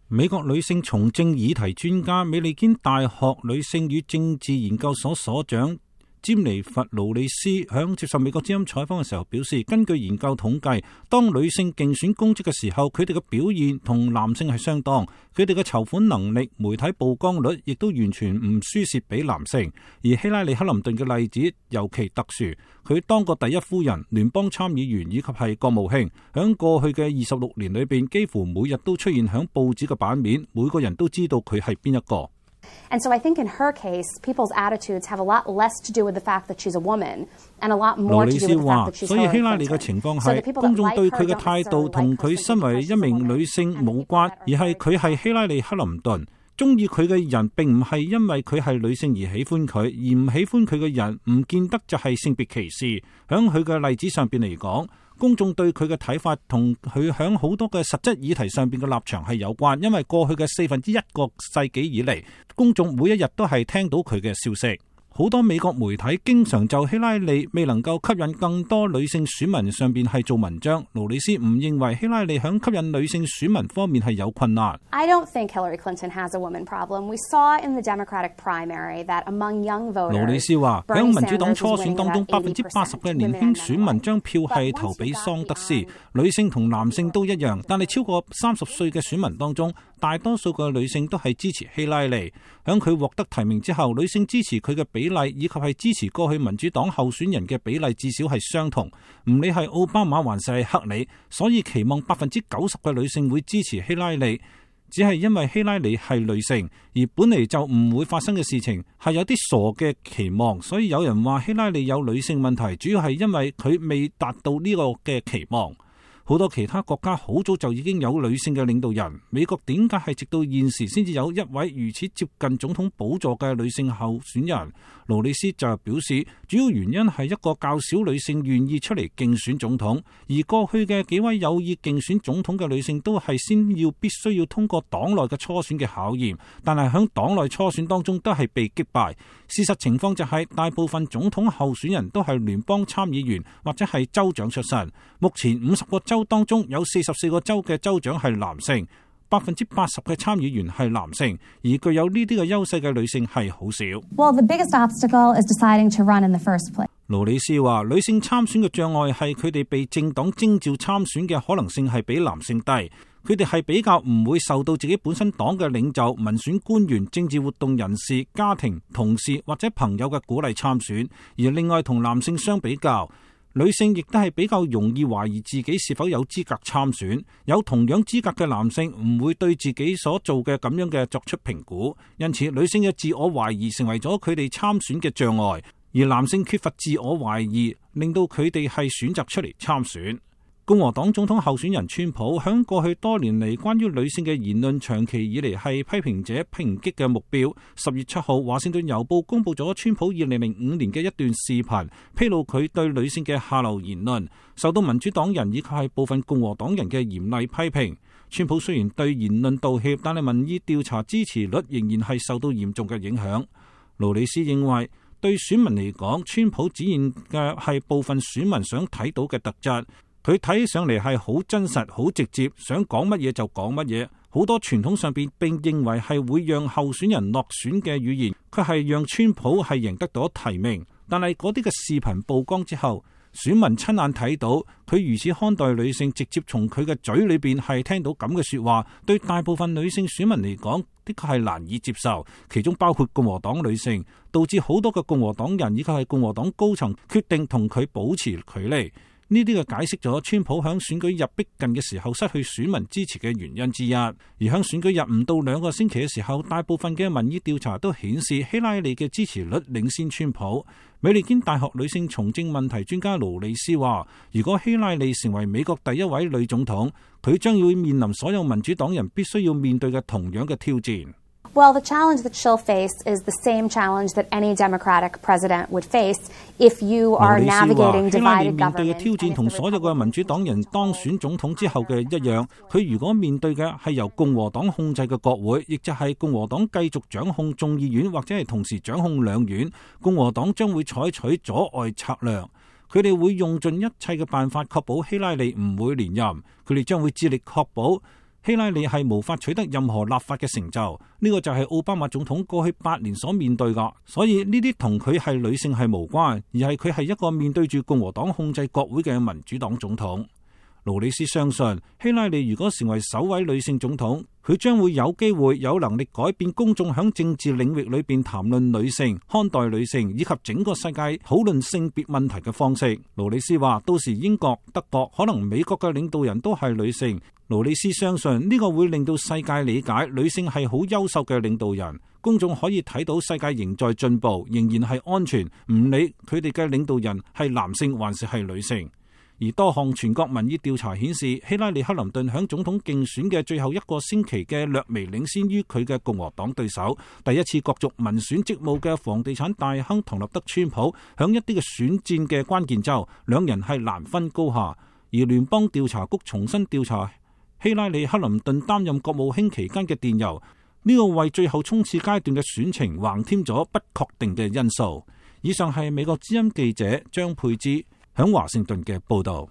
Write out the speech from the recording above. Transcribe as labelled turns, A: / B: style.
A: 美國女性從政議題專家、美利堅大學女性與政治研究所所長詹妮弗·勞里斯響接受美國之音採訪嘅時候表示，根據研究統計，當女性競選公職嘅時候，佢哋嘅表現同男性係相當，佢哋嘅籌款能力、媒體曝光率亦都完全唔輸蝕俾男性。而希拉里·克林頓嘅例子尤其特殊，佢當過第一夫人、聯邦參議員以及係國務卿，響過去嘅26年裏邊，幾乎每日都出現響報紙嘅版面，每個人都知道佢係邊一個。
B: And so I think in her case, people's attitudes have a lot less to do with the fact that she's a woman, and a lot more to do with the fact that she's Hillary Clinton.
A: 所以希拉里嘅情況係，公眾對佢嘅態度同佢身為一名女性冇關，而係佢係希拉里·克林頓。中意佢嘅人並唔係因為佢係女性而喜歡佢，而唔喜歡佢嘅人唔見得就係性別歧視。響佢嘅例子上邊嚟講，公眾對佢嘅睇法同佢響好多嘅實質議題上邊嘅立場係有關，因為過去嘅1/4個世紀以嚟，公眾每一日都係聽到佢嘅消息。好多美國媒體經常就希拉里未能夠吸引更多女性選民上邊係做文章。勞里斯唔認為希拉里響吸引女性選民方面係有困難。
B: I don't think Hillary Clinton has a woman problem. We saw in the Democratic primary that among young voters.
A: 勞里斯話，響民主黨初選當中，80%嘅年輕選民將票係投俾桑德斯，女性同男性都一樣。但係超過30歲嘅選民當中，大多數嘅女性都係支持希拉里。響佢獲得提名之後，女性支持佢嘅比例以及係支持過去民主黨候選人嘅比例至少係相同，唔理係奧巴馬還是係克里，所以期望90%嘅女性會支持希拉里，只係因為希拉里係女性，而本嚟就唔會發生嘅事情係有啲傻嘅期望，所以有人話希拉里有女性問題，主要係因為佢未達到呢個嘅期望。好多其他國家好早就已經有女性嘅領導人，美國點解係直到現時先至有一位如此接近總統寶座嘅女性候選人？勞里斯就表示，主要原因係一個較少女性願意出嚟競選總統，而過去嘅幾位有意競選總統嘅女性都係必須要通過黨內嘅初選嘅考驗，但係響黨內初選當中都係被擊敗。事實情況就係，大部分總統候選人都係聯邦參議員或者係州長出身。目前50個州當中有44個州嘅州長係男性，80%嘅參議員係男性，而具有呢啲嘅優勢嘅女性係好少。
B: Well, the biggest obstacle is deciding to run in the first place.
A: 勞里斯話，女性參選嘅障礙係佢哋被政黨徵召參選嘅可能性係比男性低，佢哋係比較唔會受到自己本身黨嘅領袖、民選官員、政治活動人士、家庭、同事或者朋友嘅鼓勵參選，而另外同男性相比較，女性亦都係比較容易懷疑自己是否有資格參選，有同樣資格嘅男性唔會對自己所做嘅咁樣嘅作出評估，因此女性嘅自我懷疑成為咗佢哋參選嘅障礙，而男性缺乏自我懷疑，令到佢哋係選擇出嚟參選。共和黨總統候選人川普響過去多年嚟關於女性嘅言論，長期以嚟係批評者抨擊嘅目標。10月7號，華盛頓郵報公布咗川普2005年嘅一段視頻，披露佢對女性嘅下流言論，受到民主黨人以及係部分共和黨人嘅嚴厲批評。川普雖然對言論道歉，但係民意調查支持率仍然係受到嚴重嘅影響。勞里斯認為，對選民嚟講，川普展現嘅係部分選民想睇到嘅特質。佢睇起上嚟係好真實、好直接，想講乜嘢就講乜嘢。好多傳統上邊並認為係會讓候選人落選嘅語言，佢係讓川普係贏得到提名。但係嗰啲嘅視頻曝光之後，選民親眼睇到佢如此看待女性，直接從佢嘅嘴裏邊係聽到咁嘅說話，對大部分女性選民嚟講，的確係難以接受。其中包括共和黨女性，導致好多嘅共和黨人以及係共和黨高層決定同佢保持距離。呢啲嘅解釋咗川普響選舉日逼近嘅時候失去選民支持嘅原因之一。而響選舉日唔到2個星期嘅時候，大部分嘅民意調查都顯示希拉里嘅支持率領先川普。美利堅大學女性從政問題專家勞里斯話，如果希拉里成為美國第一位女總統，佢將要面臨所有民主黨人必須要面對嘅同樣嘅挑戰。
B: Well, the challenge that she'll face is the same challenge that any Democratic president would face if you are navigating divided government. 面對嘅挑戰同所有嘅民主黨人當選總統之後嘅一樣，佢如果面對嘅係由共和黨控制嘅國會，亦就係共和黨繼續掌控眾議院或者係同時掌控兩院，共和黨將會採取阻礙策略。佢哋會用盡一切嘅辦法確保希拉里唔會連任，佢哋將會致力確保
A: 希拉里係無法取得任何立法嘅成就，呢個就係奧巴馬總統過去8年所面對噶。所以呢啲同佢係女性係無關，而係佢係一個面對住共和黨控制國會嘅民主黨總統。勞里斯相信希拉里如果成為首位女性總統，佢將會有機會有能力改變公眾響政治領域裏邊談論女性、看待女性以及整個世界討論性別問題嘅方式。勞里斯話，到時英國、德國，可能美國嘅領導人都係女性。勞里斯相信呢個會令到世界理解女性係好優秀嘅領導人，公眾可以睇到世界仍在進步，仍然係安全，唔理佢哋嘅領導人係男性還是係女性。而多項全國民意調查顯示，希拉里克林頓響總統競選嘅最後一個星期嘅略微領先於佢嘅共和黨對手。第一次角逐民選職務嘅房地產大亨唐納德川普，響一啲嘅選戰嘅關鍵州，兩人係難分高下。而聯邦調查局重新調查希拉里克林頓擔任國務卿期間嘅電郵，呢個為最後衝刺階段嘅選情橫添咗不確定嘅因素。以上係美國之音記者張佩芝響華盛頓嘅報道。